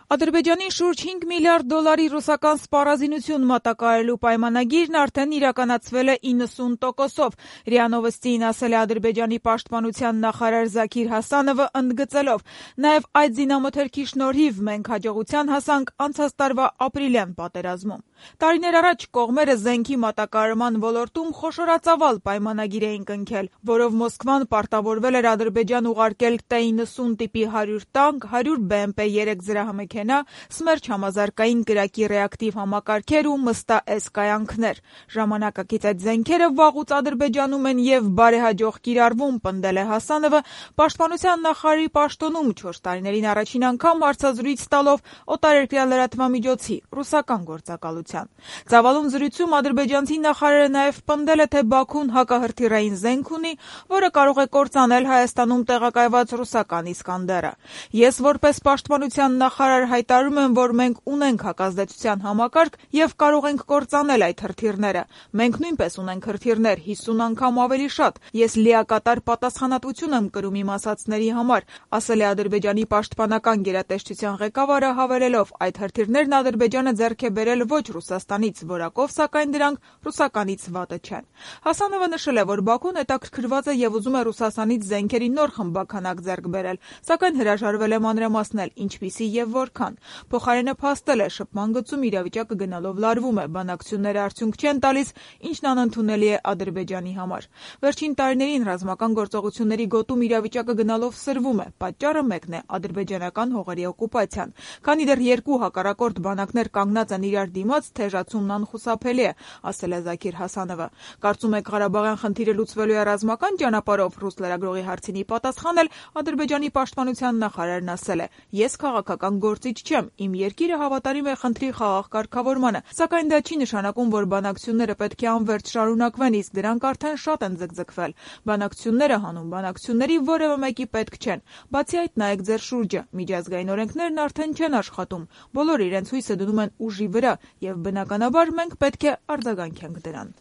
Ադրբեջանին շուրջ 5 միլիարդ դոլարի ռուսական սպառազինություն մատակարարելու պայմանագիրն արդեն իրականացվել է 90%-ով, ՌԻԱ Նովոստիին ասել է Ադրբեջանի պաշտպանության նախարար Զաքիր Հասանովը, ընդգծելով. «Նաև այդ զինամթերքի շնորհիվ մենք հաջողության հասանք անցած տարվա ապրիլյան պատերազմում»։ Տարիներ առաջ կողմերը զենքի մատակարարման ոլորտում խոշորածավալ պայմանագիր էին կնքել, որով Մոսկվան պարտավորվել էր Ադրբեջան ուղարկել T-90 տիպի 100 տանկ, 100 BMP-3 զրահամեքենա, Սմերչ համազարգային կրակի ռեակտիվ համակարգեր ու մստա-S կայանքներ։ Ժամանակակից այդ զենքերը վաղուց Ադրբեջանում են եւ բարեհաջող կիրառվում, պնդել է Հասանովը, պաշտպանության նախարարի պաշտոնում 4 տարիներին առաջին անգամ հարցազրույց տալով օտարերկրյա լրատվամիջոցի ռուսական գործակալության։ Ծավալուն զրույցում ադրբեջանցի նախարարը նաև պնդել է, թե Բաքուն հակահրթիռային զենք ունի, որը կարող է կործանել Հայաստանում տեղակայված ռուսական Իսկանդերը։ Ես որպես պաշտպանության նախարար հայտարարում եմ, որ մենք ունենք հակազդեցության համակարգ եւ կարող ենք կործանել այդ հրթիռները։ Մենք նույնպես ունենք հրթիռներ 50 անգամ ավելի շատ։ Ես լիակատար պատասխանատվություն եմ կրում իմ ասածների համար, ասել է Ադրբեջանի պաշտպանական գերատեսչության ղեկավարը, հավելելով. այդ հրթիռներն Ադրբեջանը ձեռք է բերել ոչ Ռուսաստանից որակով, սակայն դրանք ռուսականից վատը չեն։ Հասանովը նշել է, որ Բաքուն հետաքրքրված է եւ ուզում է Ռուսաստանից զենքերի նոր խմբականակ ձեռք բերել, սակայն հրաժարվել է մանրամասնել ինչպիսի եւ որքան։ Փոխարենը փաստել է, շփման գծում իրավիճակը գնալով լարվում է, բանակցությունները արդյունք չեն տալիս, ինչն անընդունելի է Ադրբեջանի համար։ Վերջին տարիներին ռազմական գործողությունների գոտում իրավիճակը գնալով սրվում է, պատճառը մեկն է՝ ադրբեջանական հողերի օկուպացիան։ Քանի դեռ երկու հակառակորդ բանակներ կանգնած են իրար դիմաց, թեժացումն անխուսափելի է, ասել է Զաքիր Հասանովը։ Կարծում եք Ղարաբաղյան խնդիրը լուծվելու է ռազմական ճանապարհով, ռուս լրագրողի հարցին ի պատասխան էլ Ադրբեջանի պաշտպանության նախարարն ասել է. «Ես քաղաքական գործիչ չեմ, իմ երկիրը հավատարիմ է խնդրի խաղաղ կարգավորմանը, սակայն դա չի նշանակում, որ բանակցությունները պետք է անվերջ շարունակվեն, իսկ դրանք արդեն շատ են ձգձգվել։ Բանակցությունները հանուն բանակցությունների որևէ մեկի պետք չեն։ Բացի այդ, նայեք ձեր շուրջը, միջազգային օրենքներն արդեն չեն աշխատում, բոլորը իրենց հույսը դնում են ուժի վրա, եւ բնականաբար մենք պետք է արձագանքենք դրան»։